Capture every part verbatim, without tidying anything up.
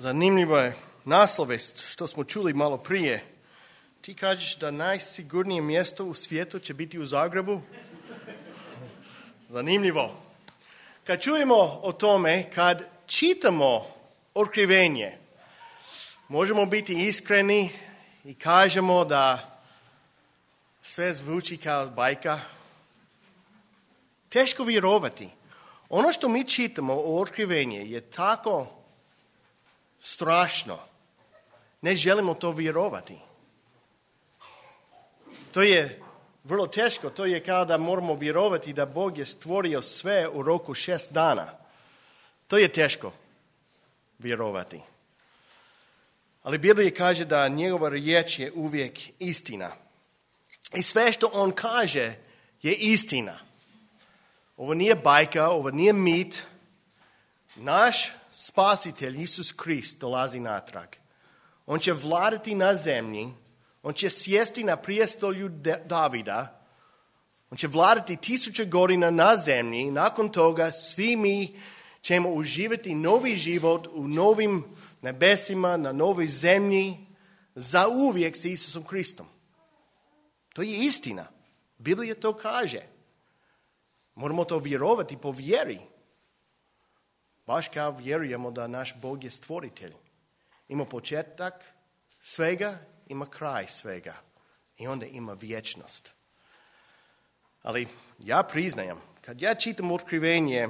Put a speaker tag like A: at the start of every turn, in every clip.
A: Zanimljivo je naslovest što smo čuli malo prije. Ti kažeš da najsigurnije mjesto u svijetu će biti u Zagrebu? Zanimljivo. Kad čujemo o tome, kad čitamo Otkrivenje, možemo biti iskreni i kažemo da sve zvuči kao bajka. Teško vjerovati. Ono što mi čitamo o Otkrivenje je tako strašno. Ne želimo to vjerovati. To je vrlo teško. To je kao da moramo vjerovati da Bog je stvorio sve u roku šest dana. To je teško vjerovati. Ali Biblija kaže da njegova riječ je uvijek istina. I sve što on kaže je istina. Ovo nije bajka, ovo nije mit. Naš spasitelj, Isus Krist, dolazi natrag. On će vladati na zemlji. On će sjesti na prijestolju Davida. On će vladati tisuće godina na zemlji. Nakon toga svi mi ćemo uživati novi život u novim nebesima, na novoj zemlji, za uvijek s Isusom Kristom. To je istina. Biblija to kaže. Moramo to vjerovati po vjeri. Baš kao vjerujemo da naš Bog je stvoritelj. Ima početak svega, ima kraj svega. I onda ima vječnost. Ali ja priznajem, kad ja čitam Otkrivenje,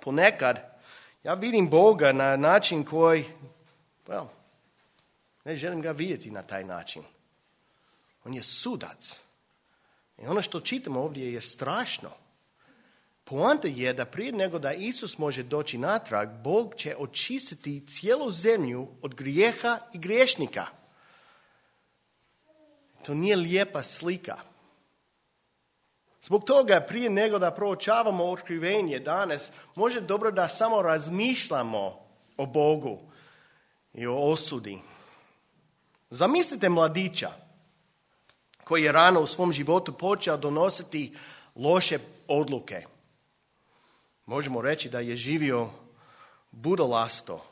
A: ponekad ja vidim Boga na način koji, well, ne želim ga vidjeti na taj način. On je sudac. I ono što čitamo ovdje je strašno. Poanta je da prije nego da Isus može doći natrag, Bog će očistiti cijelu zemlju od grijeha i griješnika. To nije lijepa slika. Zbog toga prije nego da proučavamo Otkrivenje danas, može dobro da samo razmišljamo o Bogu i o osudi. Zamislite mladića koji je rano u svom životu počeo donositi loše odluke. Možemo reći da je živio budalasto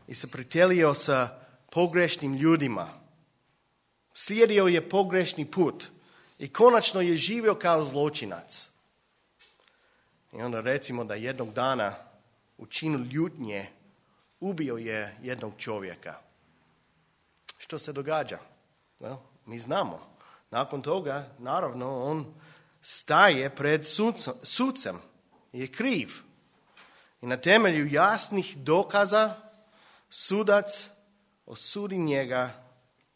A: i se pritelio sa pogrešnim ljudima. Slijedio je pogrešni put i konačno je živio kao zločinac. I onda recimo da jednog dana u činu ljutnje ubio je jednog čovjeka. Što se događa? Well, mi znamo. Nakon toga, naravno, on staje pred sucem. Je kriv. I na temelju jasnih dokaza sudac osudi njega,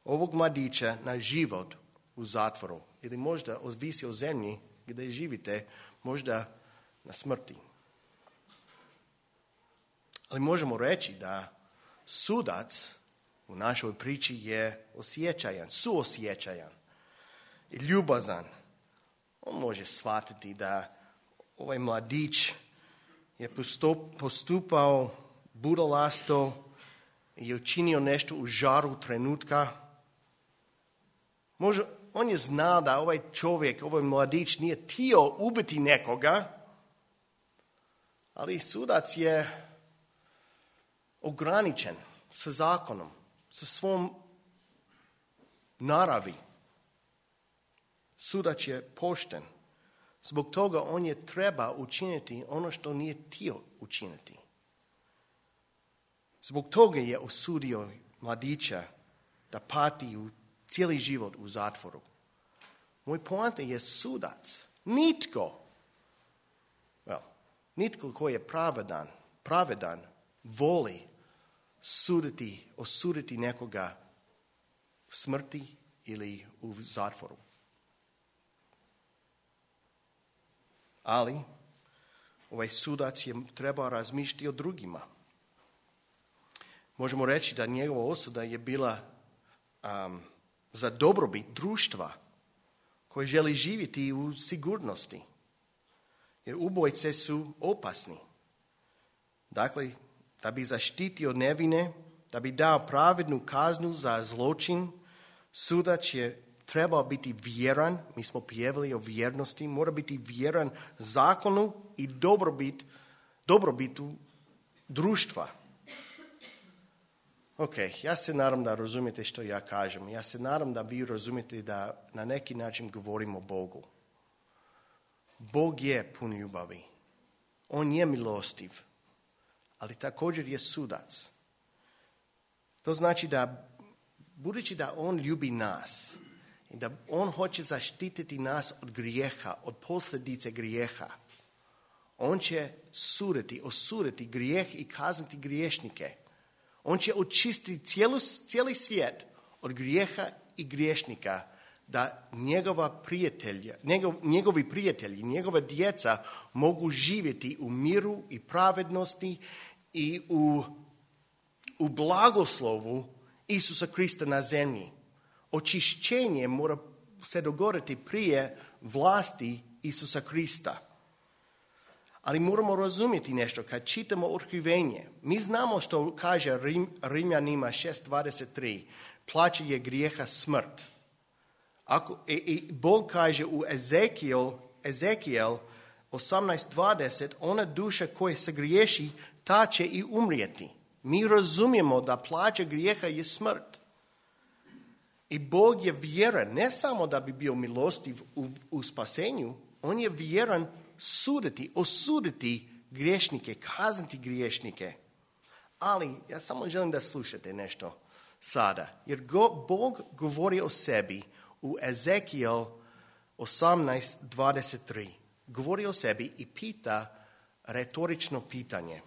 A: ovog mladića, na život u zatvoru. Ili možda ovisi o zemlji gdje živite, možda na smrti. Ali možemo reći da sudac u našoj priči je osjećajan, suosjećajan i ljubazan. On može shvatiti da ovaj mladić je postupao budalasto i je učinio nešto u žaru trenutka. Može, on je znao da ovaj čovjek, ovaj mladić nije htio ubiti nekoga, ali sudac je ograničen sa zakonom, sa svom naravi. Sudac je pošten. Zbog toga on je treba učiniti ono što nije htio učiniti. Zbog toga je osudio mladića da pati u cijeli život u zatvoru. Moj poanta je sudac. Nitko, well, nitko koji je pravedan, pravedan voli suditi, osuditi nekoga u smrti ili u zatvoru. Ali ovaj sudac je trebao razmišljati o drugima. Možemo reći da njegova osuda je bila um, za dobrobit društva koje želi živjeti u sigurnosti. Jer ubojice su opasni. Dakle, da bi zaštitio nevine, da bi dao pravednu kaznu za zločin, sudac je trebao biti vjeran, mi smo pjevali o vjernosti, mora biti vjeran zakonu i dobrobit, dobrobitu društva. Ok, ja se nadam da razumijete što ja kažem. Ja se nadam da vi razumijete da na neki način govorimo o Bogu. Bog je pun ljubavi. On je milostiv, ali također je sudac. To znači da, budući da on ljubi nas, i da on hoće zaštititi nas od grijeha, od posljedice grijeha, on će suditi, osuditi grijeh i kazniti griješnike. On će očistiti cijelu, cijeli svijet od grijeha i griješnika, da njegova prijatelja, njegov, njegovi prijatelji, njegova djeca mogu živjeti u miru i pravednosti i u, u blagoslovu Isusa Krista na zemlji. Očišćenje mora se dogoditi prije vlasti Isusa Krista. Ali moramo razumjeti nešto. Kad čitamo otkrivenje, mi znamo što kaže Rim, Rimljanima šest dvadeset tri. Plaća je grijeha smrt. Ako, i, i Bog kaže u Ezekiel, Ezekiel osamnaest dvadeset, ona duša koja se griješi, ta će i umrijeti. Mi razumijemo da plaća grijeha je smrt. I Bog je vjeran, ne samo da bi bio milostiv u, u spasenju, on je vjeran suditi, osuditi griješnike, kazniti griješnike. Ali ja samo želim da slušate nešto sada. Jer go, Bog govori o sebi u Ezekiel osamnaest dvadeset tri. Govori o sebi i pita retorično pitanje.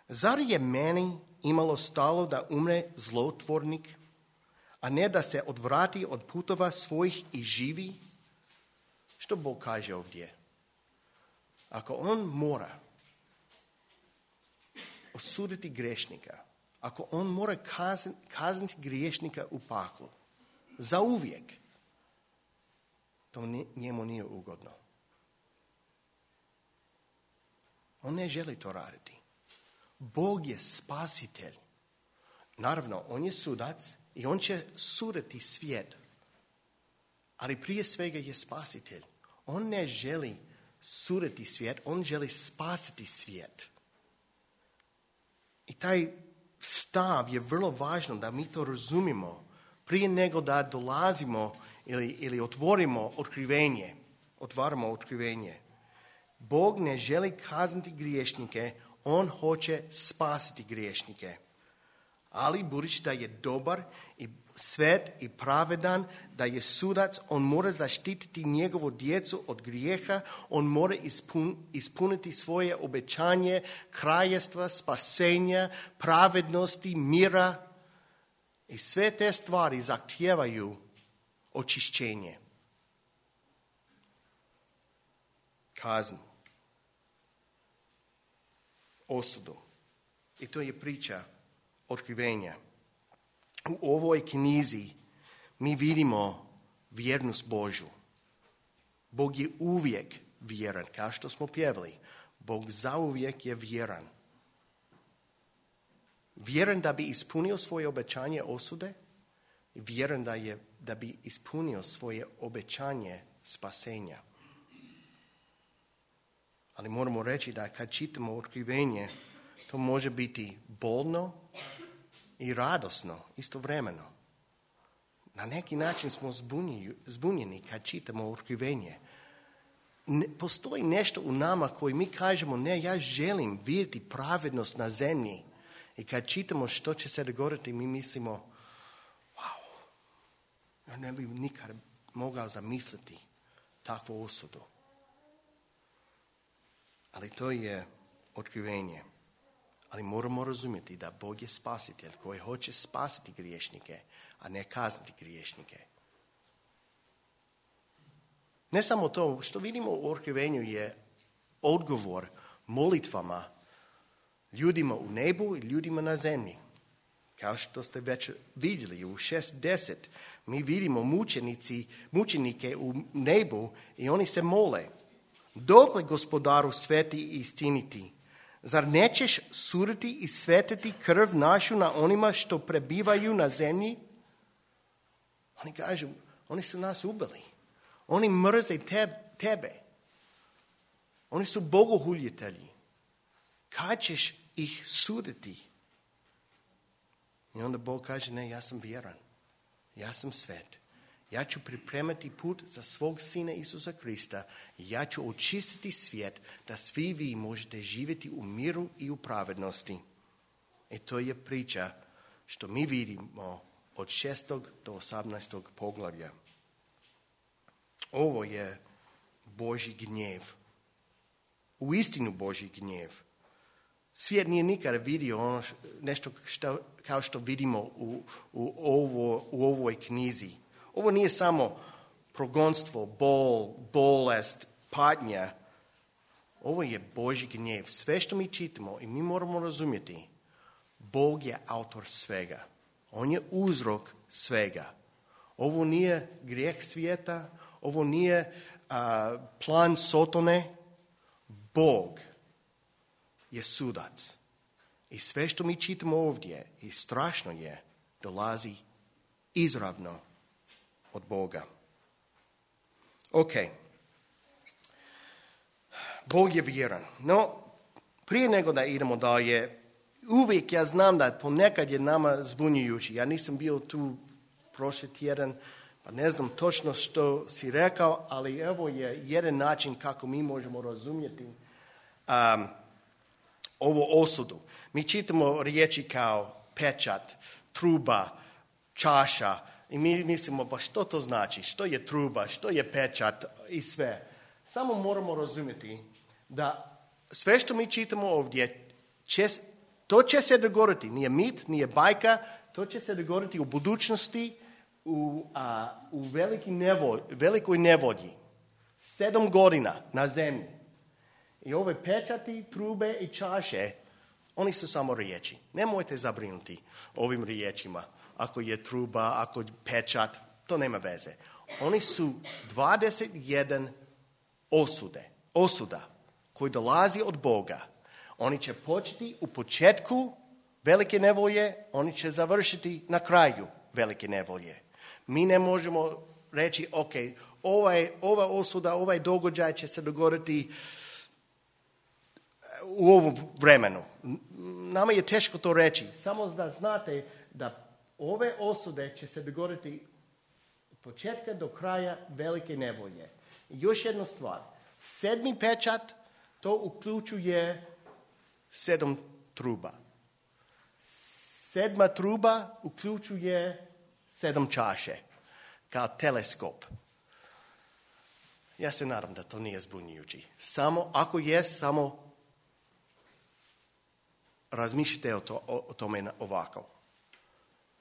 A: Zar je meni imalo stalo da umre zlotvornik, a ne da se odvrati od putova svojih i živi? Što Bog kaže ovdje? Ako on mora osuditi grešnika, ako on mora kazniti griješnika u paklu, zauvijek, to njemu nije ugodno. On ne želi to raditi. Bog je spasitelj. Naravno, on je sudac i on će suditi svijet. Ali prije svega je spasitelj. On ne želi suditi svijet, on želi spasiti svijet. I taj stav je vrlo važno da mi to razumimo prije nego da dolazimo ili, ili otvorimo otkrivenje. Otvaramo otkrivenje. Bog ne želi kazniti griješnike, on hoće spasiti griješnike. Ali budući da je dobar i svet i pravedan, da je sudac, on mora zaštititi njegovu djecu od grijeha, on mora ispun, ispuniti svoje obećanje kraljevstva, spasenja, pravednosti, mira. I sve te stvari zahtijevaju očišćenje. Kaznu. Osudu. I to je priča otkrivenja. U ovoj knjizi mi vidimo vjernost Božju. Bog je uvijek vjeran, kao što smo pjevali. Bog zauvijek je vjeran. Vjeran da bi ispunio svoje obećanje osude i vjeran da, je, da bi ispunio svoje obećanje spasenja. Ali moramo reći da kad čitamo otkrivenje, to može biti bolno i radosno istovremeno. Na neki način smo zbunjeni, zbunjeni kad čitamo otkrivenje. Ne, postoji nešto u nama koji mi kažemo, ne, ja želim vidjeti pravednost na zemlji. I kad čitamo što će se dogoditi, mi mislimo, wow, ja ne bih nikad mogao zamisliti takvu osudu. Ali to je otkrivenje. Ali moramo razumjeti da Bog je spasitelj koji hoće spasiti griješnike, a ne kazniti griješnike. Ne samo to, što vidimo u otkrivenju je odgovor molitvama ljudima u nebu i ljudima na zemlji. Kao što ste već vidjeli u šest deset, mi vidimo mučenici, mučenike u nebu i oni se mole. Dokle gospodaru sveti i istiniti? Zar nećeš suditi i svetiti krv našu na onima što prebivaju na zemlji? Oni kažu, oni su nas ubili. Oni mrze tebe. Oni su bogohuljitelji. Kad ćeš ih suditi? I onda Bog kaže, ne, ja sam vjeran. Ja sam svet. Ja ću pripremati put za svog sina Isusa Krista i ja ću očistiti svijet da svi vi možete živjeti u miru i u pravednosti. I to je priča što mi vidimo od šestog do osamnaestog poglavlja. Ovo je Božji gnjev. Uistinu Božji gnjev. Svijet nije nikada vidio ono nešto što, kao što vidimo u, u, ovo, u ovoj knjizi. Ovo nije samo progonstvo, bol, bolest, patnja. Ovo je Božji gnjev. Sve što mi čitamo i mi moramo razumjeti, Bog je autor svega. On je uzrok svega. Ovo nije grijeh svijeta, ovo nije a, plan Sotone. Bog je sudac. I sve što mi čitamo ovdje i strašno je, dolazi izravno od Boga. Ok. Bog je vjeran. No, prije nego da idemo dalje, uvijek ja znam da ponekad je nama zbunjujući. Ja nisam bio tu prošli tjedan, pa ne znam točno što si rekao, ali evo je jedan način kako mi možemo razumjeti um, ovu osudu. Mi čitamo riječi kao pečat, truba, čaša i mi mislimo pa što to znači, što je truba, što je pečat i sve. Samo moramo razumjeti da sve što mi čitamo ovdje, će, to će se dogoditi, nije mit, nije bajka, to će se dogoditi u budućnosti, u, a, u veliki nevolj, velikoj nevolji. Sedam godina na zemlji. I ove pečati, trube i čaše, oni su samo riječi. Nemojte zabrinuti ovim riječima. Ako je truba, ako je pečat, to nema veze. Oni su dvadeset jedan osude, osuda koji dolazi od Boga. Oni će početi u početku velike nevolje, oni će završiti na kraju velike nevolje. Mi ne možemo reći, ok, ovaj, ova osuda, ovaj događaj će se dogoditi u ovom vremenu. Nama je teško to reći. Samo da znate da ove osude će se dogoditi od početka do kraja velike nevolje. I još jedna stvar. Sedmi pečat, to uključuje sedam truba. Sedma truba uključuje sedam čaše, kao teleskop. Ja se nadam da to nije zbunjujući. Samo, ako je, samo razmišljajte o, to, o, o tome ovako.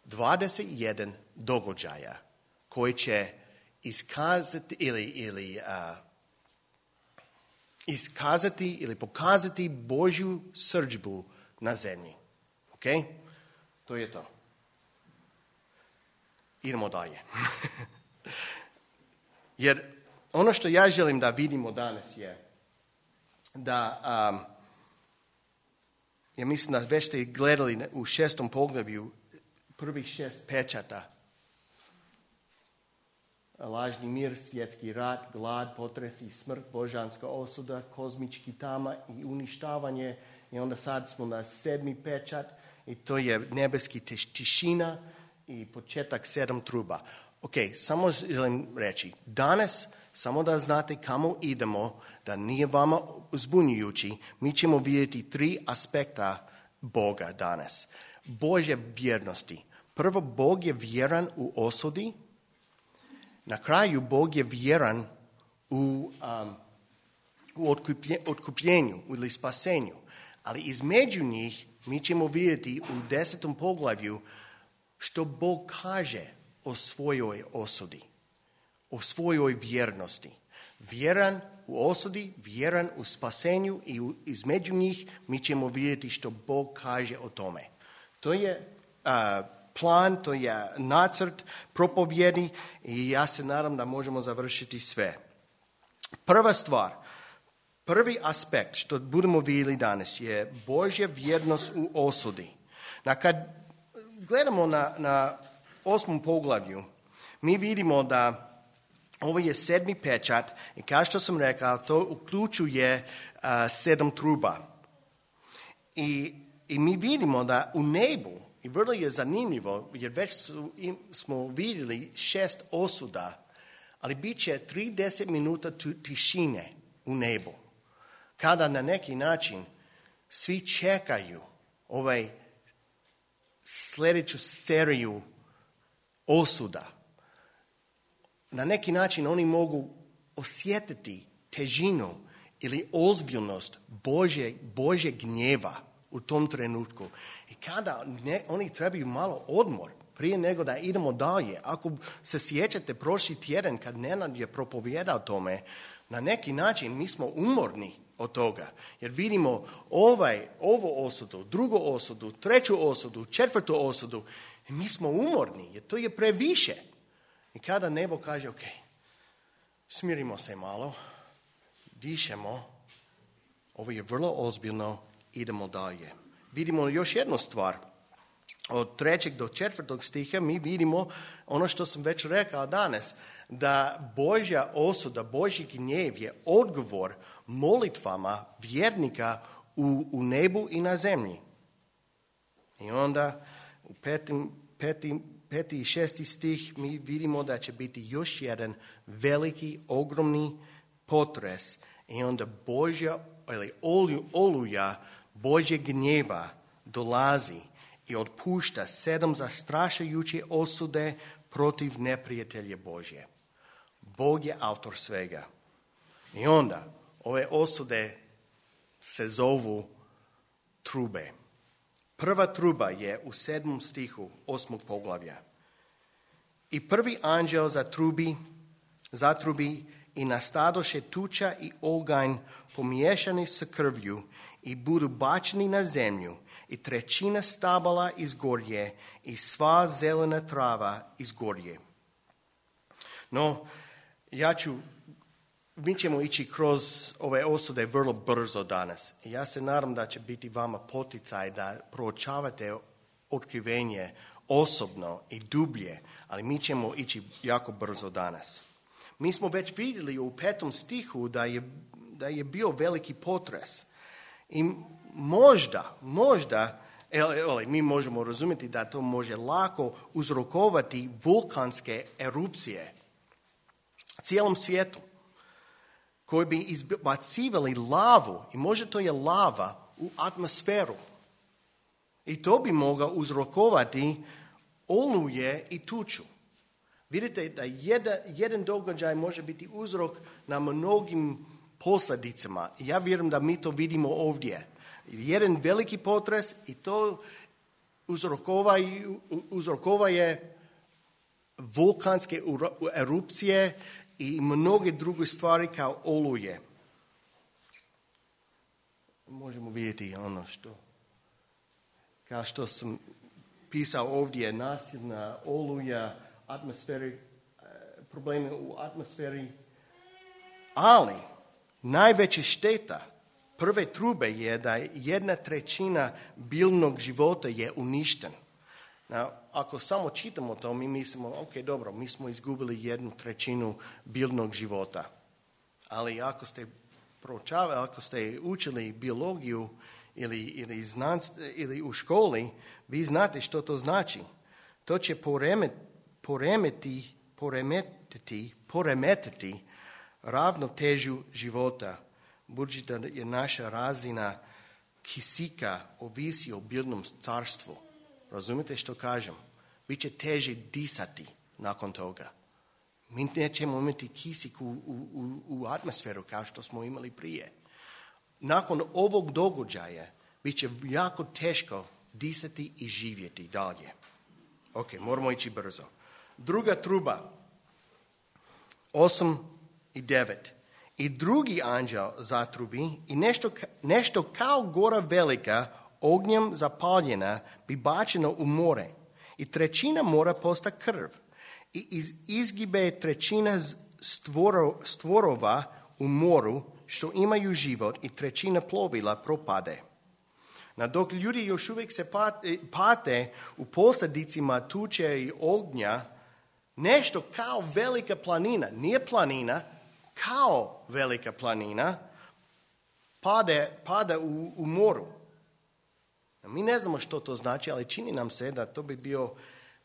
A: dvadeset jedan događaja koji će iskazati ili, ili uh, iskazati ili pokazati Božju srdžbu na zemlji. Ok? To je to. Idemo dalje. Jer ono što ja želim da vidimo danas je da, um, ja mislim da već ste gledali u šestom poglavlju prvih šest pečata. Lažni mir, svjetski rat, glad, potresi, smrt, božanska osuda, kozmički tama i uništavanje. I onda sad smo na sedmi pečat i to je nebeski tišina i početak sedam truba. Ok, samo želim reći, danas, samo da znate kamo idemo, da nije vama zbunjujući, mi ćemo vidjeti tri aspekta Boga danas. Božje vjernosti. Prvo, Bog je vjeran u osudi. Na kraju, Bog je vjeran u, um, u otkupljenju ili spasenju. Ali između njih mi ćemo vidjeti u desetom poglavlju što Bog kaže o svojoj osudi, o svojoj vjernosti. Vjeran u osudi, vjeran u spasenju i u, između njih mi ćemo vidjeti što Bog kaže o tome. To je uh, plan, to je nacrt propovjedi i ja se nadam da možemo završiti sve. Prva stvar, prvi aspekt što budemo vidjeli danas je Božja vjernost u osudi. Na kad gledamo na, na osmom poglavlju, mi vidimo da ovo je sedmi pečat i kao što sam rekao, to uključuje uh, sedam truba. I, I mi vidimo da u nebu I vrlo je zanimljivo, jer već su, im, smo vidjeli šest osuda, ali bit će trideset minuta tišine u nebu, kada na neki način svi čekaju ovaj sljedeću seriju osuda. Na neki način oni mogu osjetiti težinu ili ozbiljnost Božje, Božje gnjeva u tom trenutku. I kada ne, oni trebaju malo odmor prije nego da idemo dalje. Ako se sjećate prošli tjedan kad Nenad je propovijedao tome, na neki način mi smo umorni od toga. Jer vidimo ovaj, ovo osudu, drugu osudu, treću osudu, četvrtu osudu. I mi smo umorni jer to je previše. I kada nebo kaže, ok, smirimo se malo, dišemo, ovo je vrlo ozbiljno, idemo dalje. Vidimo još jednu stvar. Od trećeg do četvrtog stiha mi vidimo ono što sam već rekao danas, da Božja osuda, Božji gnjev je odgovor molitvama vjernika u, u nebu i na zemlji. I onda u petim, petim, peti i šesti stih mi vidimo da će biti još jedan veliki, ogromni potres i onda Božja ili oluja Božje gnjeva dolazi i otpušta sedam zastrašujuće osude protiv neprijatelja Božje. Bog je autor svega. I onda ove osude se zovu trube. Prva truba je u sedmom stihu osmog poglavlja. I prvi anđel zatrubi, zatrubi i nastadoše tuča i oganj pomiješani sa krvju i budu bačeni na zemlju i trećina stabala izgorje i sva zelena trava izgorje. No, ja ću, mi ćemo ići kroz ove osude vrlo brzo danas. Ja se nadam da će biti vama poticaj da proučavate otkrivenje osobno i dublje, ali mi ćemo ići jako brzo danas. Mi smo već vidjeli u petom stihu da je, da je bio veliki potres. I možda, možda, ele, mi možemo razumjeti da to može lako uzrokovati vulkanske erupcije cijelom svijetu, koji bi izbacivali lavu, i možda to je lava, u atmosferu. I to bi mogao uzrokovati oluje i tuču. Vidite da jedan, jedan događaj može biti uzrok na mnogim posljedicama. Ja vjerujem da mi to vidimo ovdje. Jedan veliki potres i to uzrokova je vulkanske erupcije i mnoge druge stvari kao oluje. Možemo vidjeti ono što, kao što sam pisao ovdje, nasilna oluja, atmosferi, probleme u atmosferi, ali najveća šteta prve trube je da jedna trećina biljnog života je uništen. Na, ako samo čitamo to, mi mislimo, ok, dobro, mi smo izgubili jednu trećinu biljnog života. Ali ako ste proučavali, ako ste učili biologiju ili, ili, znanst, ili u školi, vi znate što to znači. To će poremet, poremeti, poremetiti, poremetiti ravnotežu života, budući da je naša razina kisika ovisi o biljnom carstvu. Razumite što kažem? Biće teže disati nakon toga. Mi nećemo imati kisik u, u, u atmosferu kao što smo imali prije. Nakon ovog događaja bit će jako teško disati i živjeti dalje. Ok, moramo ići brzo. Druga truba, osam i devet. I drugi anđel zatrubi i nešto, nešto kao gora velika ognjem zapaljena bi bačeno u more. I trećina mora posta krv. I iz, izgibe trećina stvoro, stvorova u moru što imaju život i trećina plovila propade. Na dok ljudi još uvijek se pate u posljedicima tuče i ognja, nešto kao velika planina, nije planina, kao velika planina, pade, pada u, u moru. Mi ne znamo što to znači, ali čini nam se da to bi bio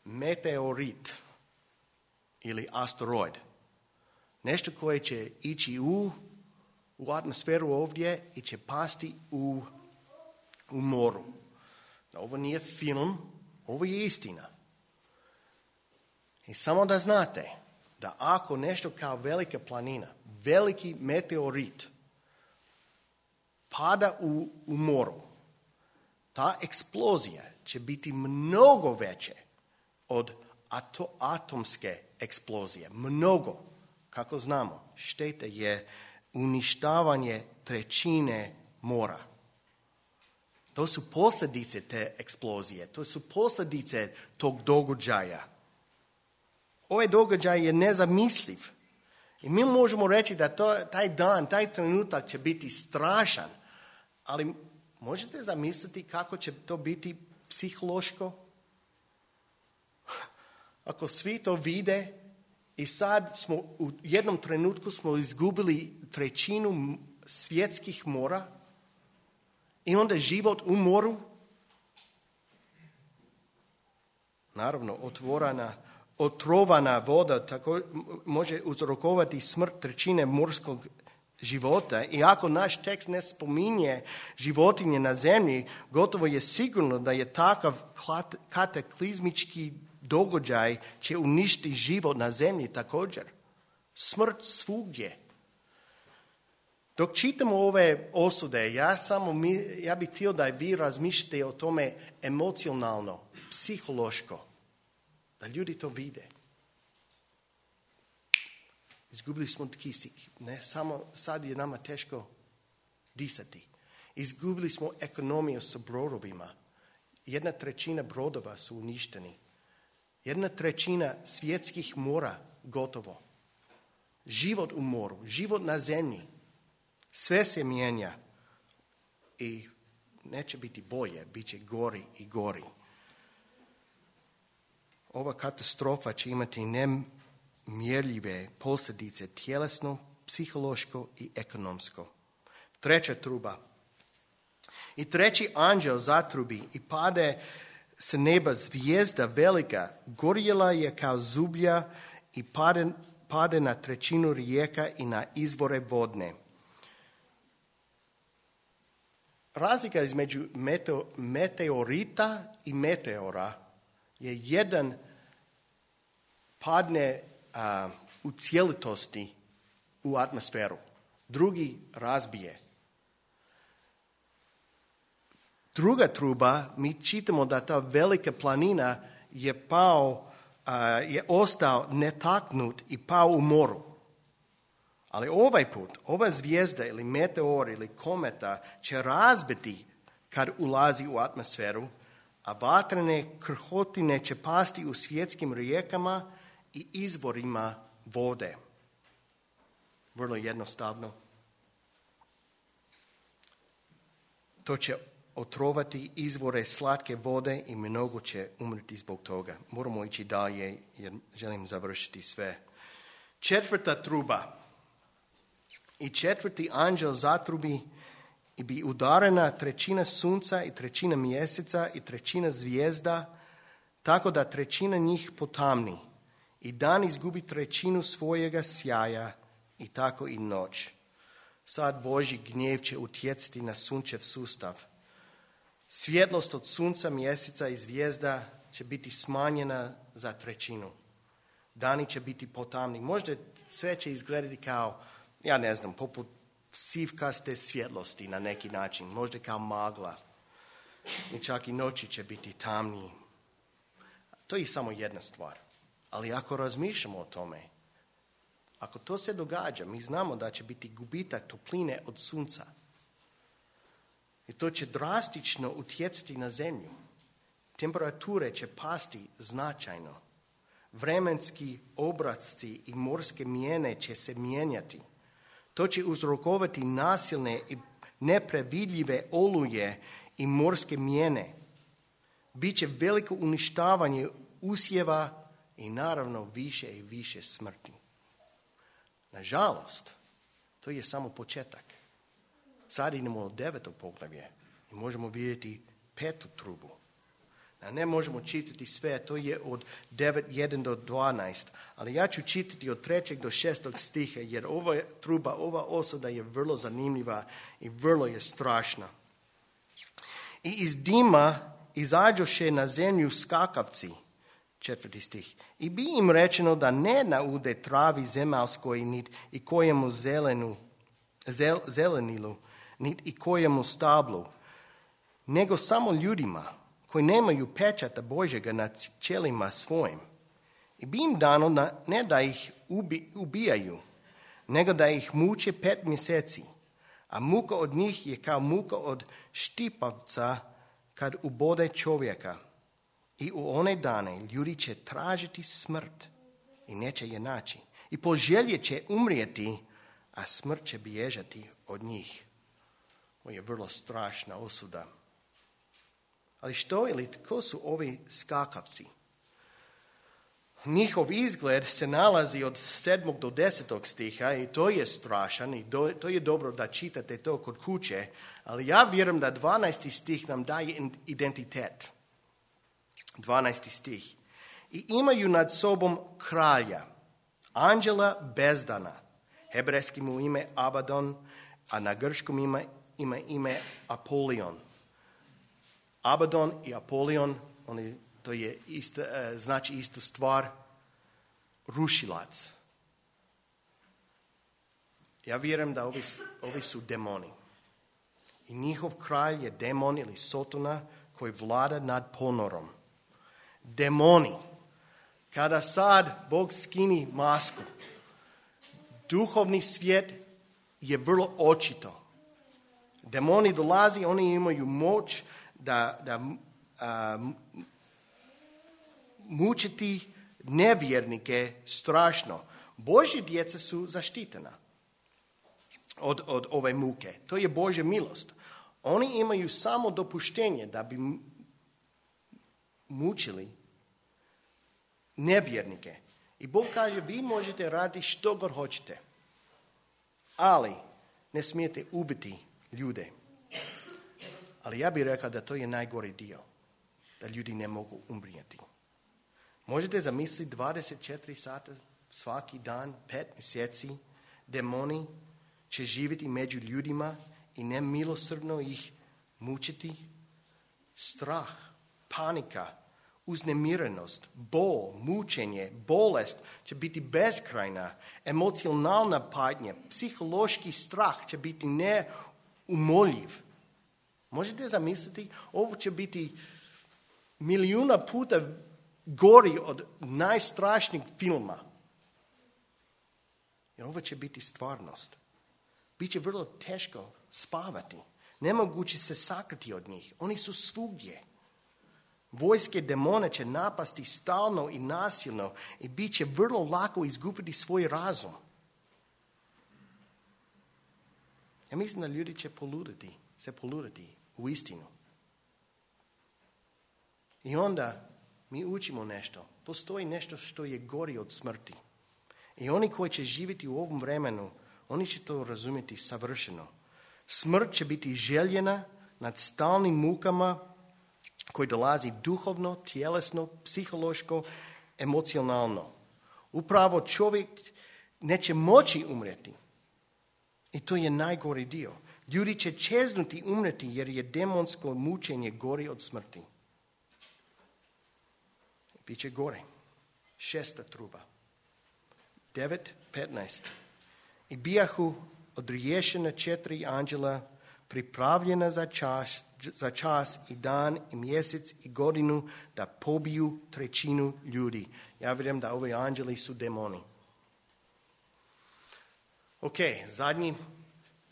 A: meteorit ili asteroid. Nešto koje će ići u, u atmosferu ovdje i će pasti u, u moru. Ovo nije film, ovo je istina. I samo da znate da ako nešto kao velika planina, veliki meteorit pada u, u moru, ta eksplozija će biti mnogo veće od ato, atomske eksplozije. Mnogo. Kako znamo, šteta je uništavanje trećine mora. To su posljedice te eksplozije, to su posljedice tog događaja. Ovaj događaj je nezamisliv. I mi možemo reći da to, taj dan, taj trenutak će biti strašan, ali možete zamisliti kako će to biti psihološko? Ako svi to vide i sad smo u jednom trenutku smo izgubili trećinu svjetskih mora i onda život u moru, naravno otvorena, otrovana voda tako može uzrokovati smrt trećine morskog života. I ako naš tekst ne spominje životinje na zemlji, gotovo je sigurno da je takav kataklizmički događaj će uništiti život na zemlji također. Smrt svugdje. Dok čitamo ove osude, ja samo ja bih htio da vi razmišljate o tome emocionalno, psihološko, da ljudi to vide. Izgubili smo kisik. Ne samo sad je nama teško disati. Izgubili smo ekonomiju sa brodovima. Jedna trećina brodova su uništeni. Jedna trećina svjetskih mora gotovo. Život u moru, život na zemlji. Sve se mijenja i neće biti bolje, bit će gori i gori. Ova katastrofa će imati nemjerljive posljedice tjelesno, psihološko i ekonomsko. Treća truba. I treći anđel zatrubi i pade sa neba zvijezda velika, gorjela je kao zublja i pade, pade na trećinu rijeka i na izvore vodne. Razlika između meteo, meteorita i meteora je jedan padne a, u cijelitosti u atmosferu, drugi razbije. Druga truba, mi čitamo da ta velika planina je pao, a, je ostao netaknut i pao u moru. Ali ovaj put, ova zvijezda ili meteor ili kometa će razbiti kad ulazi u atmosferu, a vatrene krhotine će pasti u svjetskim rijekama i izvorima vode. Vrlo jednostavno. To će otrovati izvore slatke vode i mnogo će umrti zbog toga. Moramo ići dalje jer želim završiti sve. Četvrta truba. I četvrti anđel zatrubi i bi udarena trećina sunca i trećina mjeseca i trećina zvijezda, tako da trećina njih potamni. I dan izgubi trećinu svojega sjaja i tako i noć. Sad Božji gnjev će utjecati na sunčev sustav. Svjetlost od sunca, mjeseca i zvijezda će biti smanjena za trećinu. Dani će biti potamni. Možda sve će izgledati kao, ja ne znam, poput sivkaste svjetlosti na neki način. Možda kao magla. I čak i noći će biti tamniji. To je samo jedna stvar. Ali ako razmišljamo o tome, ako to se događa, mi znamo da će biti gubitak topline od sunca. I to će drastično utjecati na zemlju. Temperature će pasti značajno. Vremenski obrasci i morske mijene će se mijenjati. To će uzrokovati nasilne i neprevidljive oluje i morske mijene. Biće veliko uništavanje usjeva i naravno više i više smrti. Nažalost, to je samo početak. Sad idemo u deveto poglavlje i možemo vidjeti petu trubu. Ne možemo čitati sve, to je od devet jedan do dvanaest, ali ja ću čitati od trećeg do šestog stiha, jer ova truba, ova osuda je vrlo zanimljiva i vrlo je strašna. I iz dima izađoše na zemlju skakavci, četvrti stih, i bi im rečeno da ne naude travi zemaljskoj, nit i kojemu zelenu, zel, zelenilu, nit i kojemu stablu, nego samo ljudima koji nemaju pečata Božjega nad čelima svojim. I bi im dano na, ne da ih ubi, ubijaju, nego da ih muče pet mjeseci. A muka od njih je kao muka od štipavca kad ubode čovjeka. I u one dane ljudi će tražiti smrt i neće je naći. I poželje će umrijeti, a smrt će bježati od njih. Ovo je vrlo strašna osuda. Ali što ili tko su ovi skakavci? Njihov izgled se nalazi od sedmog do desetog stiha i to je strašan i do, to je dobro da čitate to kod kuće, ali ja vjerujem da dvanaesti stih nam daje identitet. dvanaesti stih. I imaju nad sobom kralja, anđela bezdana, hebrejski mu ime Abadon, a na grčkom ima, ima ime Apolion. Abadon i Apolion, oni, to je isto, znači istu stvar, rušilac. Ja vjerujem da ovi, ovi su demoni. I njihov kralj je demon ili Sotona koji vlada nad ponorom. Demoni. Kada sad Bog skini masku, duhovni svijet je vrlo očito. Demoni dolazi, oni imaju moć da, da a, mučiti nevjernike strašno. Božje djeca su zaštitena od, od ove muke. To je Božja milost. Oni imaju samo dopuštenje da bi mučili nevjernike. I Bog kaže, vi možete raditi što god hoćete, ali ne smijete ubiti ljude. Ali ja bih rekao da to je najgori dio, da ljudi ne mogu umrijeti. Možete zamisliti dvadeset četiri sata svaki dan, pet mjeseci, demoni će živjeti među ljudima i nemilosrdno ih mučiti. Strah, panika, uznemirenost, bol, mučenje, bolest će biti beskrajna, emocionalna patnja, psihološki strah će biti neumoljiv. Možete zamisliti, ovo će biti milijuna puta gori od najstrašnijeg filma. Jer ovo će biti stvarnost. Biće vrlo teško spavati. Nemoguće se sakriti od njih. Oni su svugdje. Vojske demona će napasti stalno i nasilno i bit će vrlo lako izgubiti svoj razum. Ja mislim da ljudi će poluditi, se poluditi u istinu. I onda mi učimo nešto. Postoji nešto što je gori od smrti. I oni koji će živjeti u ovom vremenu, oni će to razumjeti savršeno. Smrt će biti željena nad stalnim mukama koji dolazi duhovno, tjelesno, psihološko, emocionalno. Upravo čovjek neće moći umreti. I to je najgori dio. Ljudi će čeznuti umreti jer je demonsko mučenje gori od smrti. Biće gore. Šesta truba. Devet, petnaest. I bijahu odriješena četiri anđela pripravljena za čas, za čas i dan i mjesec i godinu da pobiju trećinu ljudi. Ja vjerujem da ovi anđeli su demoni. Ok, zadnji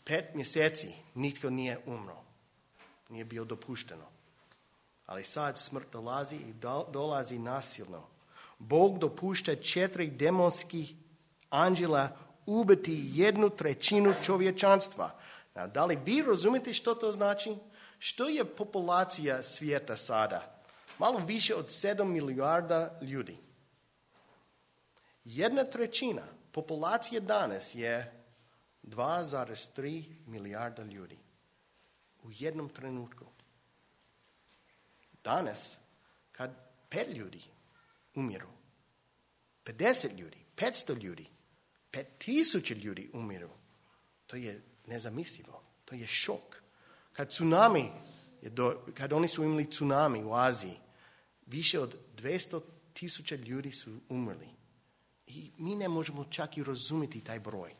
A: pet mjeseci nitko nije umro. Nije bio dopušteno. Ali sad smrt dolazi i dolazi nasilno. Bog dopušta četiri demonskih anđela ubiti jednu trećinu čovječanstva. Da li vi razumijete što to znači? Što je populacija svijeta sada? Malo više od sedam milijarda ljudi. Jedna trećina populacije danas je dva zarez tri milijarda ljudi. U jednom trenutku. danas kad pet ljudi umiru, pedeset ljudi, petsto ljudi, pet tisuća ljudi umiru. To je nezamislivo. To je šok. Kad tsunami, kad oni su imali tsunami u Aziji, više od dvjesto tisuća ljudi su umrli. I mi ne možemo čak i razumjeti taj broj.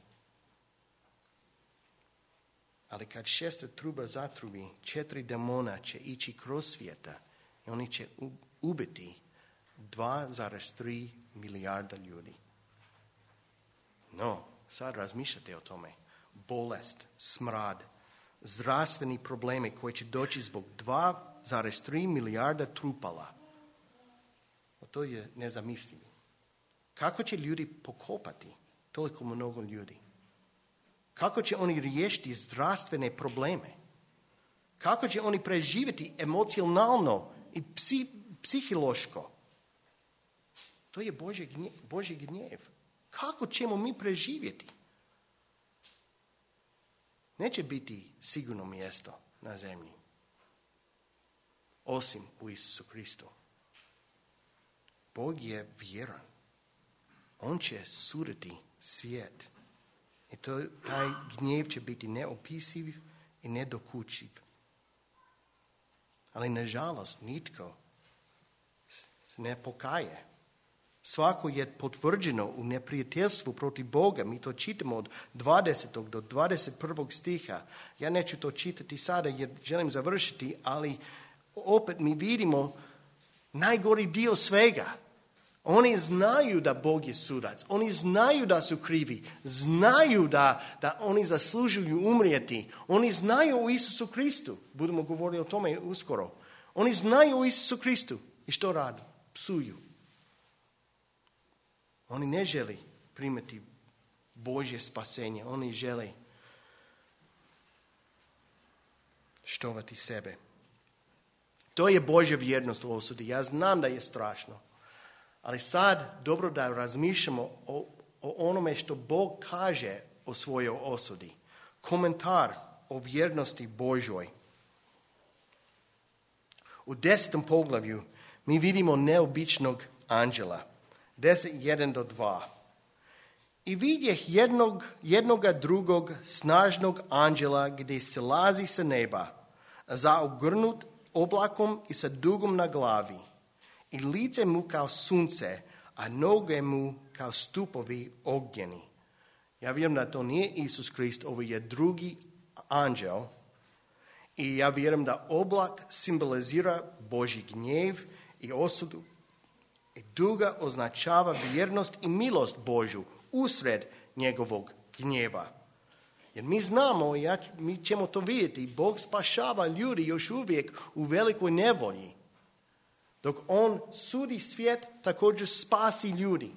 A: Ali kad šesta truba zatrubi, četiri demona će ići kroz svijeta i oni će ubiti dva zarez tri milijarda ljudi. No, sad razmišljate o tome. Bolest, smrad, zdravstveni problemi koji će doći zbog dva zarez tri milijarda trupala. To je nezamislivo. Kako će ljudi pokopati toliko mnogo ljudi? Kako će oni riješiti zdravstvene probleme? Kako će oni preživjeti emocionalno i psi, psihološko? To je Božji gnjev, Božji gnjev. Kako ćemo mi preživjeti? Neće biti sigurno mjesto na zemlji, osim u Isusu Kristu. Bog je vjeran. On će suditi svijet. I to, taj gnjev će biti neopisiv i nedokučiv. Ali nažalost nitko se ne pokaje. Svako je potvrđeno u neprijateljstvu protiv Boga. Mi to čitamo od dvadesetog do dvadeset prvog stiha. Ja neću to čitati sada jer želim završiti, ali opet mi vidimo najgori dio svega. Oni znaju da Bog je sudac. Oni znaju da su krivi. Znaju da, da oni zaslužuju umrijeti. Oni znaju o Isusu Kristu. Budemo govoriti o tome uskoro. Oni znaju o Isusu Kristu. I što radi? Psuju. Oni ne žele primiti Božje spasenje. Oni žele štovati sebe. To je Božja vjernost u osudi. Ja znam da je strašno. Ali sad dobro da razmišljamo o, o onome što Bog kaže o svojoj osudi. Komentar o vjernosti Božoj. U desetom poglavlju mi vidimo neobičnog anđela. Deset, jedan do dva. I vidjeh jednog, jednoga drugog snažnog anđela gdje se lazi sa neba, zaogrnut oblakom i sa dugom na glavi. I lice mu kao sunce, a noge mu kao stupovi ognjeni. Ja vjerujem da to nije Isus Krist, ovo je drugi anđel. I ja vjerujem da oblak simbolizira Božji gnjev i osudu. I duga označava vjernost i milost Božju usred njegovog gnjeva. Jer mi znamo, ja, mi ćemo to vidjeti, Bog spašava ljudi još uvijek u velikoj nevolji. Dok on sudi svijet, također spasi ljudi.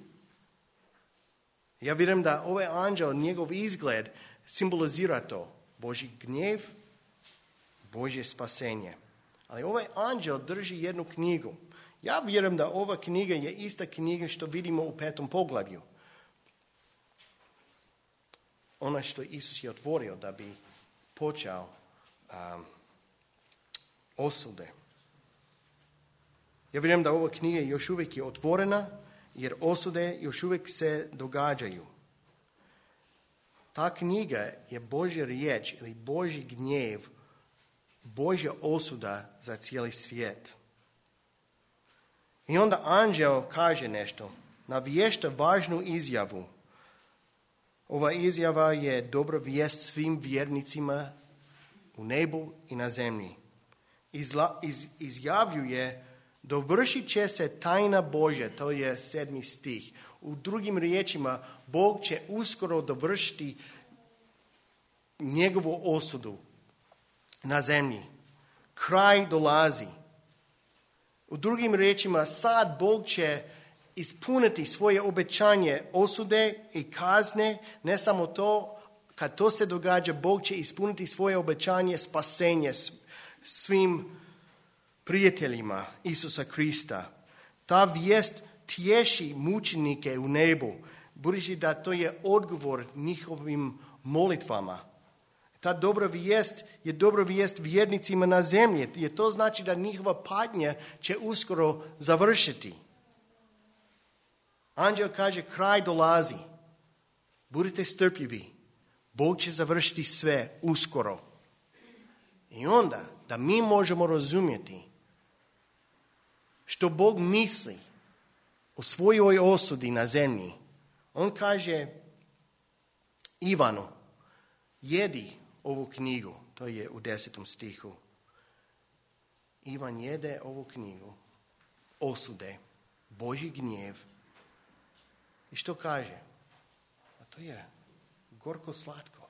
A: Ja vjerujem da ovaj anđel, njegov izgled, simbolizira to. Božji gnjev, Božje spasenje. Ali ovaj anđel drži jednu knjigu. Ja vjerujem da ova knjiga je ista knjiga što vidimo u petom poglavlju. Ona što Isus je otvorio da bi počeo um, osude. Ja vjerujem da ova knjiga još uvijek je otvorena, jer osude još uvijek se događaju. Ta knjiga je Božja riječ ili Božji gnjev, Božja osuda za cijeli svijet. I onda anđel kaže nešto, navješta važnu izjavu. Ova izjava je dobra vijest svim vjernicima u nebu i na zemlji. Izla, iz, izjavljuje, dovršit će se tajna Božja, to je sedmi stih. U drugim riječima, Bog će uskoro dovršiti njegovu osudu na zemlji. Kraj dolazi. U drugim riječima, sad Bog će ispuniti svoje obećanje osude i kazne. Ne samo to, kad to se događa, Bog će ispuniti svoje obećanje spasenje svim prijateljima Isusa Krista. Ta vijest tješi mučenike u nebu, budući da to je odgovor njihovim molitvama. Ta dobra vijest je dobra vijest vjernicima na zemlji. Jer to znači da njihova patnja će uskoro završiti. Anđel kaže, kraj dolazi. Budite strpljivi. Bog će završiti sve uskoro. I onda da mi možemo razumjeti što Bog misli o svojoj osudi na zemlji. On kaže Ivanu, jedi ovu knjigu. To je u desetom stihu. Ivan jede ovu knjigu osude, Božji gnjev. I što kaže? A to je gorko slatko.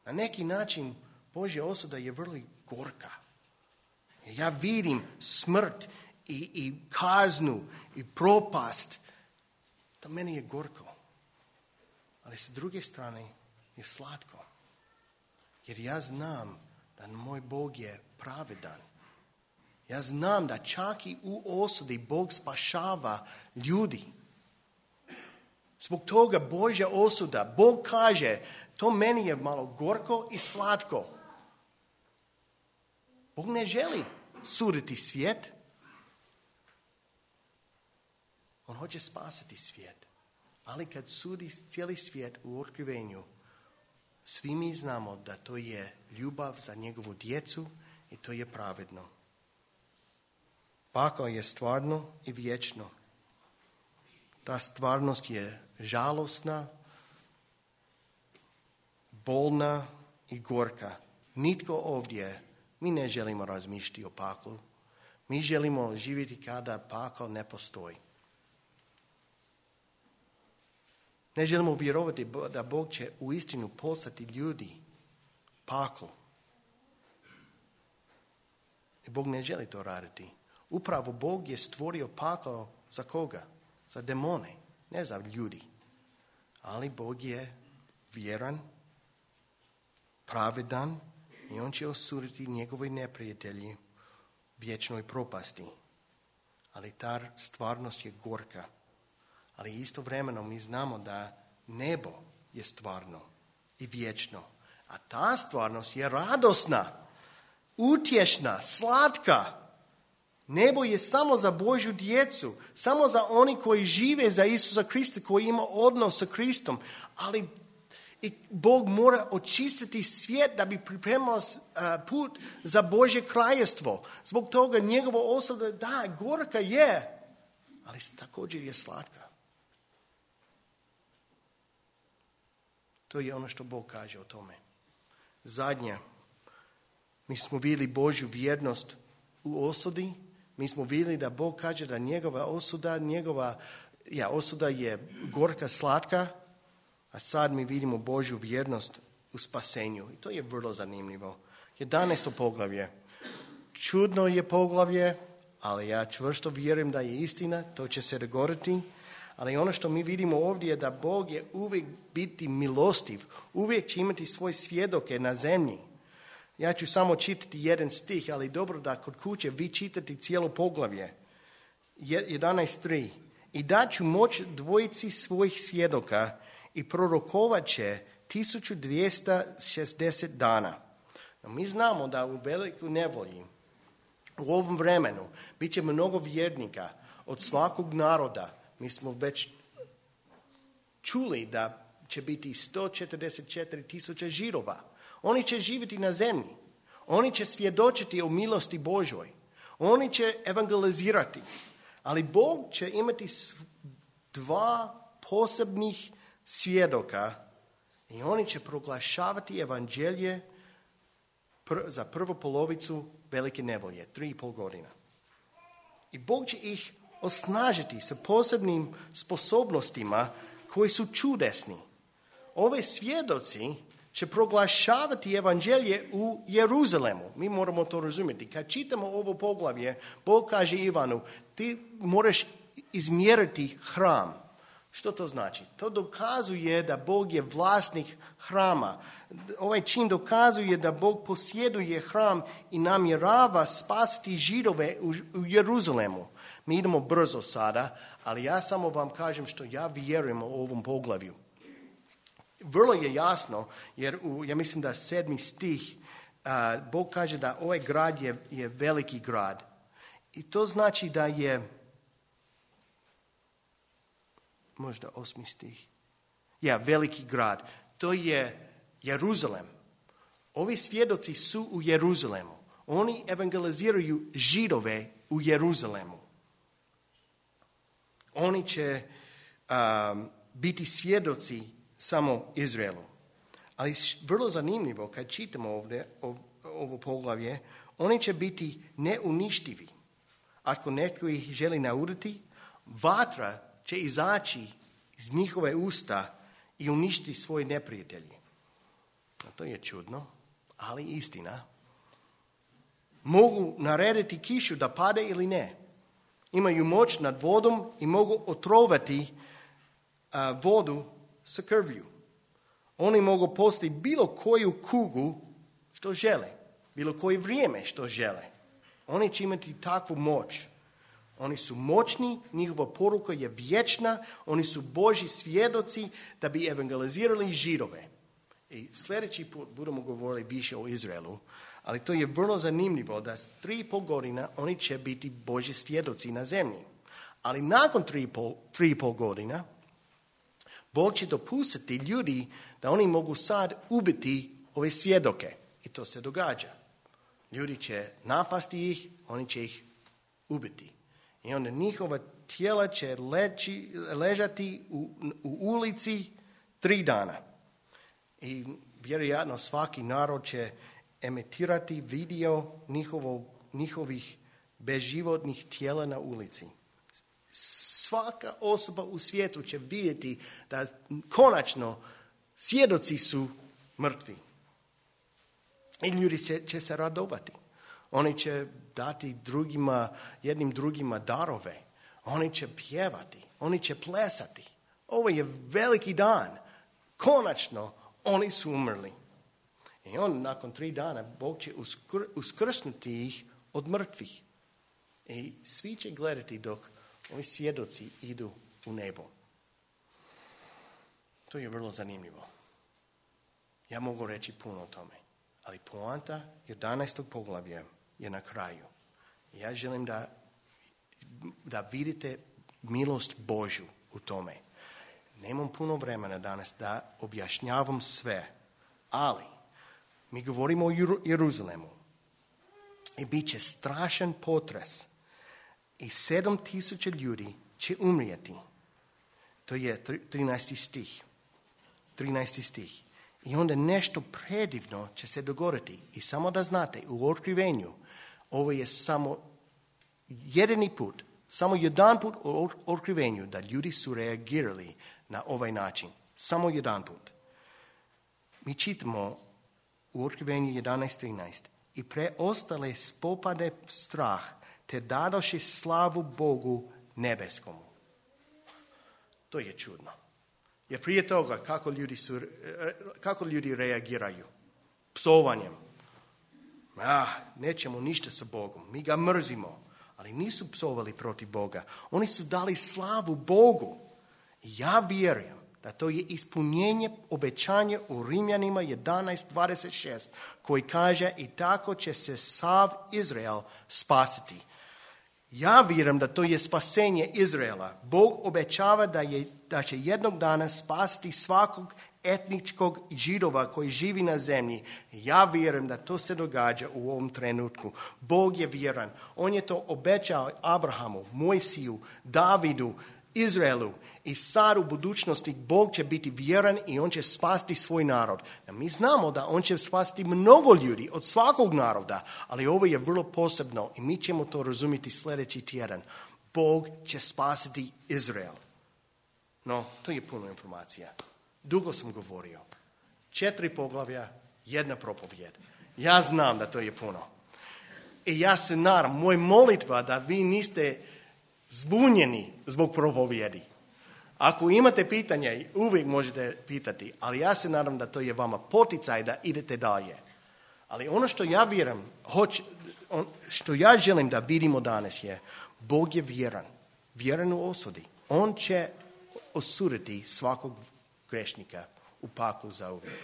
A: Na neki način Božja osuda je vrlo gorka. Ja vidim smrt i, i kaznu i propast. To meni je gorko. Ali s druge strane je slatko. Jer ja znam da moj Bog je pravedan. Ja znam da čak i u osudi Bog spašava ljudi. Zbog toga Božja osuda, Bog kaže, to meni je malo gorko i slatko. Bog ne želi suditi svijet. On hoće spasiti svijet. Ali kad sudi cijeli svijet u otkrivenju, svi mi znamo da to je ljubav za njegovu djecu i to je pravedno. Pakao je stvarno i vječno. Ta stvarnost je žalosna, bolna i gorka. Nitko ovdje, mi ne želimo razmišljati o paklu. Mi želimo živjeti kada pakao ne postoji. Ne želimo vjerovati da Bog će uistinu poslati ljudi paklu. I Bog ne želi to raditi. Upravo Bog je stvorio pakao za koga? Za demone, ne za ljudi. Ali Bog je vjeran, pravedan i on će osuditi njegove neprijatelji vječnoj propasti. Ali ta stvarnost je gorka. Ali istovremeno mi znamo da nebo je stvarno i vječno. A ta stvarnost je radosna, utješna, slatka. Nebo je samo za Božju djecu, samo za oni koji žive za Isusa Krista, koji ima odnos sa Kristom. Ali i Bog mora očistiti svijet da bi pripremao put za Božje kraljevstvo. Zbog toga njegova osuda, da, gorka je, ali također je slatka. To je ono što Bog kaže o tome. Zadnja, mi smo vidjeli Božju vjernost u osudi. Mi smo vidjeli da Bog kaže da njegova osuda, njegova ja, osuda je gorka, slatka, a sad mi vidimo Božju vjernost u spasenju. I to je vrlo zanimljivo. jedanaesto poglavlje. Čudno je poglavlje, ali ja čvrsto vjerujem da je istina, to će se dogoditi. Ali ono što mi vidimo ovdje je da Bog je uvijek biti milostiv, uvijek će imati svoje svjedoke na zemlji. Ja ću samo čitati jedan stih, ali dobro da kod kuće vi čitate cijelo poglavlje. jedanaest tri. I daću moć dvojici svojih svjedoka i prorokovat će tisuću dvjesto šezdeset dana. No, mi znamo da u velikoj nevolji, u ovom vremenu, bit će mnogo vjernika od svakog naroda. Mi smo već čuli da će biti sto četrdeset četiri tisuće Židova. Oni će živjeti na zemlji. Oni će svjedočiti o milosti Božoj. Oni će evangelizirati. Ali Bog će imati dva posebnih svjedoka i oni će proglašavati evanđelje pr- za prvu polovicu velike nevolje, tri i pol godina. I Bog će ih osnažiti sa posebnim sposobnostima koji su čudesni. Ove svjedoci će proglašavati evanđelje u Jeruzalemu. Mi moramo to razumjeti. Kad čitamo ovo poglavlje, Bog kaže Ivanu, ti moraš izmjeriti hram. Što to znači? To dokazuje da Bog je vlasnik hrama. Ovaj čin dokazuje da Bog posjeduje hram i namjerava spasiti Židove u, u Jeruzalemu. Mi idemo brzo sada, ali ja samo vam kažem što ja vjerujem o ovom poglavlju. Vrlo je jasno, jer u, ja mislim da sedmi stih, uh, Bog kaže da ovaj grad je, je veliki grad. I to znači da je, možda osmi stih, ja, veliki grad. To je Jeruzalem. Ovi svjedoci su u Jeruzalemu. Oni evangeliziraju Židove u Jeruzalemu. Oni će um, biti svjedoci samo Izraelu. Ali vrlo zanimljivo kad čitamo ovdje ovo poglavlje, oni će biti neuništivi. Ako netko ih želi nauditi, vatra će izaći iz njihove usta i uništiti svoje neprijatelje. To je čudno, ali istina. Mogu narediti kišu da pade ili ne. Imaju moć nad vodom i mogu otrovati a, vodu sa krvlju. Oni mogu posti bilo koju kugu što žele, bilo koje vrijeme što žele. Oni će imati takvu moć. Oni su moćni, njihova poruka je vječna, oni su Božji svjedoci da bi evangelizirali Židove. I sljedeći put budemo govorili više o Izraelu, ali to je vrlo zanimljivo da s tri i pol godina oni će biti Božji svjedoci na zemlji. Ali nakon tri i pol, tri i pol godina Bog će dopustiti ljudi da oni mogu sad ubiti ove svjedoke. I to se događa. Ljudi će napasti ih, oni će ih ubiti. I onda njihova tijela će leći, ležati u, u ulici tri dana. I vjerojatno svaki narod će emitirati video njihovo, njihovih bezživotnih tijela na ulici. Svaka osoba u svijetu će vidjeti da konačno svjedoci su mrtvi. I ljudi će, će se radovati. Oni će dati drugima, jednim drugima darove. Oni će pjevati. Oni će plesati. Ovo je veliki dan. Konačno oni su umrli. I on nakon tri dana Bog će uskr, uskrsnuti ih od mrtvih. I svi će gledati dok ovi svjedoci idu u nebo. To je vrlo zanimljivo. Ja mogu reći puno o tome. Ali poanta jedanaestog poglavlja je na kraju. Ja želim da, da vidite milost Božju u tome. Nemam puno vremena danas da objašnjavam sve, ali mi govorimo o Jeruzalemu i bit će strašan potres i sedam tisuća ljudi će umrijeti. To je trinaesti stih. trinaesti stih. I onda nešto predivno će se dogoditi. I samo da znate, u otkrivenju, ovo je samo jedini put, samo jedan put u otkrivenju da ljudi su reagirali na ovaj način. Samo jedan put. Mi čitamo u otkrivenju jedanaest trinaest. I preostale spopade strah, te dadoše slavu Bogu nebeskomu. To je čudno. Jer prije toga kako ljudi, su, kako ljudi reagiraju? Psovanjem. Ah, nećemo ništa sa Bogom. Mi ga mrzimo. Ali nisu psovali protiv Boga. Oni su dali slavu Bogu. I ja vjerujem da to je ispunjenje obećanja u Rimljanima jedanaest dvadeset šest koji kaže i tako će se sav Izrael spasiti. Ja vjerujem da to je spasenje Izraela. Bog obećava da, je, da će jednog dana spasiti svakog etničkog Židova koji živi na zemlji. Ja vjerujem da to se događa u ovom trenutku. Bog je vjeran. On je to obećao Abrahamu, Mojsiju, Davidu, Izraelu. I sad u budućnosti Bog će biti vjeran i on će spasiti svoj narod. A mi znamo da on će spasiti mnogo ljudi od svakog naroda, ali ovo je vrlo posebno i mi ćemo to razumjeti sljedeći tjedan. Bog će spasiti Izrael. No, to je puno informacija. Dugo sam govorio. Četiri poglavlja, jedna propovjed. Ja znam da to je puno. I ja se nadam, moj molitva da vi niste zbunjeni zbog propovjedi. Ako imate pitanja, uvijek možete pitati, ali ja se nadam da to je vama poticaj da idete dalje. Ali ono što ja vjerujem, hoć, on, što ja želim da vidimo danas je, Bog je vjeran, vjeran u osudi. On će osuditi svakog grešnika u paklu zauvijek.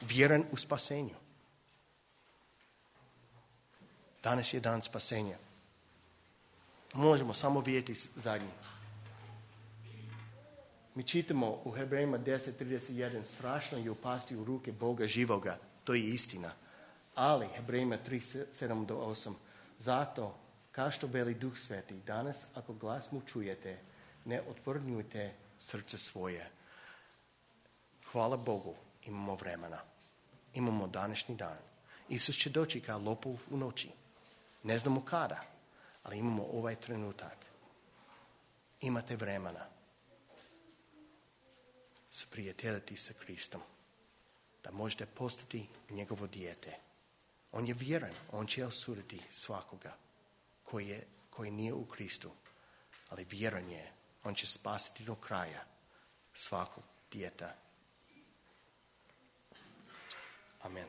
A: Vjeran u spasenju. Danas je dan spasenja. Možemo samo vidjeti zadnji. Mi čitamo u Hebrejima deset trideset jedan, strašno je upasti u ruke Boga živoga. To je istina. Ali Hebrejima tri sedam do osam, zato, kao što veli Duh Sveti, danas ako glas mu čujete, ne otvrnjujte srce svoje. Hvala Bogu, imamo vremena. Imamo današnji dan. Isus će doći kao lopov u noći. Ne znamo kada, ali imamo ovaj trenutak. Imate vremena se prijateljiti sa Kristom, da možete postati njegovo dijete. On je vjeran, on će osuditi svakoga koji, je, koji nije u Kristu, ali vjeran je, on će spasiti do kraja svakog dijeta. Amen.